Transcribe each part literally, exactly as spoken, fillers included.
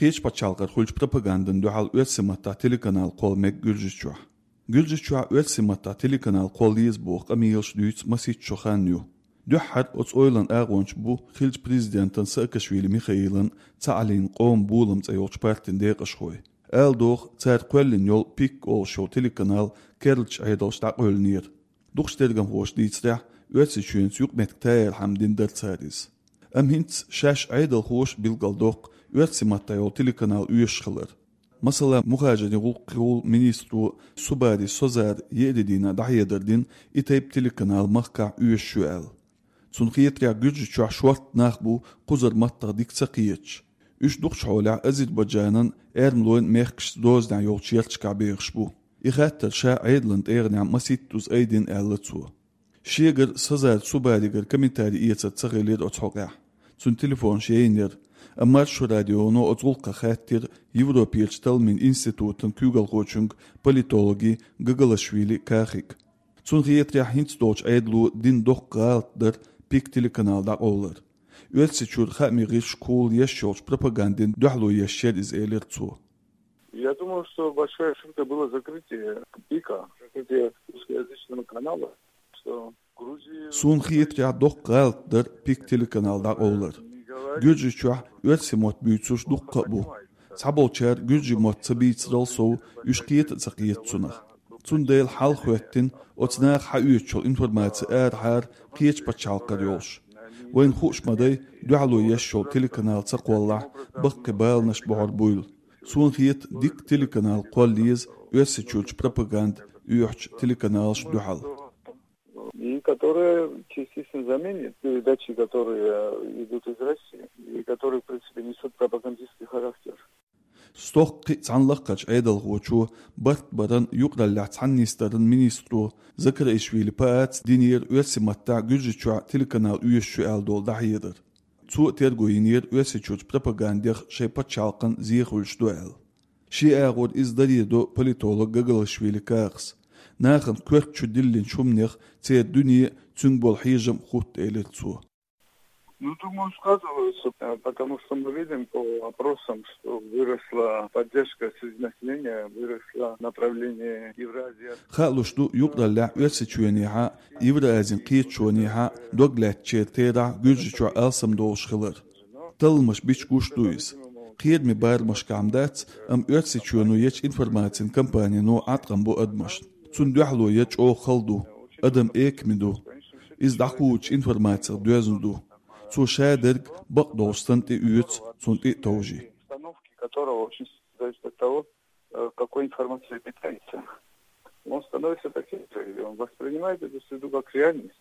Кхечу пачхьалкхара хуьлучу пропагандина дуьхьал оьрсийн маттахь телеканал кхолла мега Гуьржийчохь. Гуьржийчохь оьрсийн маттахь телеканал кхолла еза боху къамелаш дуьйцу масийтта шо хан ю. Дуьххьара оцу ойланан агӀончаш бу хиллачу президентан Саакашвили Михаилан «Цхьааллин къоман болам» цӀе йолчу партин декъашхой. Ала догӀу, цара кхоьллина йолу «Пик» олуш йолу телеканал керлачу Ӏедалша дӀакъевлинера. Дукхачу тергамхоша дийцарехь, Оьрсийчоьнца юкъаметтиг таярхьама дина дара цара иза. Амма хӀинца шаьш Ӏедалхоша билгалдоккху оьрсийн маттахь йолу телеканал оьшуш хилар. Масала, мухӀажирийн гӀуллакхийн министро Субари Созара еарин дийнахь дӀахьедар дина, и тайпа телеканал махкахь оьшуш ю аьлла. Цунна хетарехь, Гуьржийчохь шортта нах бу кхузара маттах дика ца кхеташ. Уьш дукхачу хьолехь Азербайджанан, эрмалойн мехкашца дозанехь йолчу ярташкахь бехаш бу. И хаттар ша Ӏедалан тӀегӀанехь масийттаза айдина, аьлла цо. Шегара Созара Субаригара комментари эцар ца хилира оцу хьокъехь. Цуьнан телефонаш яйнера, амма Маршо радионо оцу гӀуллакхах хаьттира Европерчу талламийн институтан куьйгалхочуьнга, политологе Гагалашвили Кахига. Цунна хетарехь, хӀинца долчу Ӏедало дина доккха гӀалат дара «Пик» телеканал дӀакъовлар. Оьрсийчуьра хаамийн гӀирсашкахула еш йолчу пропагандина дуьхьало еш яра иза, элира цо. Я думаю, что большая ошибка было закрытие «Пика», закрытие русскоязычного канала, что Грузия... Суна хетарехь, доккха гӀалат дара «Пик» телеканал дӀакъовлар. Гуьржийчохь оьрсийн мотт буьйцурш дуккха а бу. Цхьаболчара гуьржийн мотт ца бийцарал сов, уьш кхета а ца кхета цунах. Цундела хьалха хӀоьттина оцу наха хьаоьцуш йолу информаци арахьара кхечу пачхьалкхара йолуш. Вайна хууш ма дай, дуьхьало еш йолу телеканал ца кхоллахь, баккхий баланаш бохьур буйла. Суна хета, дика телеканал кхолла еза Оьрсийчуьрчу пропаганда оьхучу телеканалашна дуьхьал. И которая частично заменит передачи, которые идут из России, и которые, в принципе, несут пропагандистский характер. Стохка кхин а цхьана лакхарчу Ӏедалхочо, барт баран юкъараллехь цхьаьнатоьхнаран министро Закараишвили Пааца динера оьрсийн маттахь Гуьржийчохь телеканал оьшуш ю аьлла долу дӀахьедар. Цо а терго йинера Оьрсийчуьрчу пропагандех шайн пачхьалкхана зе хуьлуш ду аьлла. Шен агӀор иза даре до политолог Гагалашвили Кахас. Нахана коьрта чу диллинчу хӀуманех церан дуьне а, цуьнга болу хьежам а хутта, элира цо. Ну, думаю, сказывается, э, потому что мы видим по опросам, что выросла поддержка среди населения, выросло направление Евразия. Хаалуш ду, юкъараллехь Оьрсийчоьнехьа, Евразин кхеташонехьа дог лаьцначеран терахь Гуьржийчохь алсам долуш хилар. Талламаш бича гуш ду иза. Кхераме барамашкахь-м дац, амма Оьрсийчоьно ечу информацин кампанино Ӏаткъам бо адамашна. Цунна дуьхьало ян чӀогӀа хала ду. Адам экаме ду. Иза дӀакхочучу информацих доьзна ду. Цо ша дерг бакъдолуш санна тӀеоьцу, цунна тӀе а товжий. Установки которого очень сильно зависит от того, э, какой информацией питается. Он становится таким же, и он воспринимает эту среду как реальность.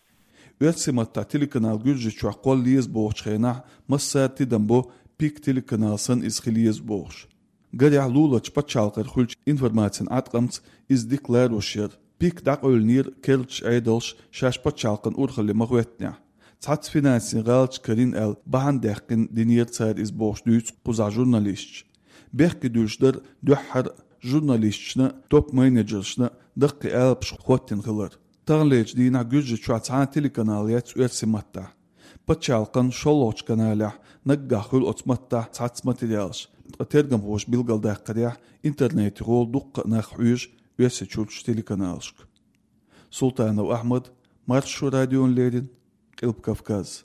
Оьрсийн маттахь телеканал Гуьржийчохь кхолла еза бохучу хенахь, массара тидам бо, «Пик» телеканал санна иза хила еза бохуш. Гарехь, луларчу пачхьалкхера хуьлучу информацин Ӏаткъамца иза дика ларош яра. «Пик» дӀакъевлинера керлачу Ӏедалша шаьш пачхьалкхан урхалле ма-хӀоьттинехь. Цхьацца финансийн гӀалаташ карийна аьлла, бахьана даьккхина динера цара иза бохуш дуьйцу кхузахь журналисташа. Бехке дуьллуш дара дуьххьара журналисташна, топ-менеджершна даккхий алапаш хӀоттийна хилар. Таханлерчу дийнахь Гуьржийчохь цхьа а телеканал яц оьрсийн маттахь. Пачхьалкхан шолгӀачу каналехь наггахь хуьлу оцу маттахь цхьацца материалаш, ткъа тергамхоша билгалдаккхарехь, интернетехула дуккха а нах хьоьжу Оьрсийчуьрчу телеканалашка. Султанов Ахьмад, Маршо радиона леррина, Къилба Кавказ.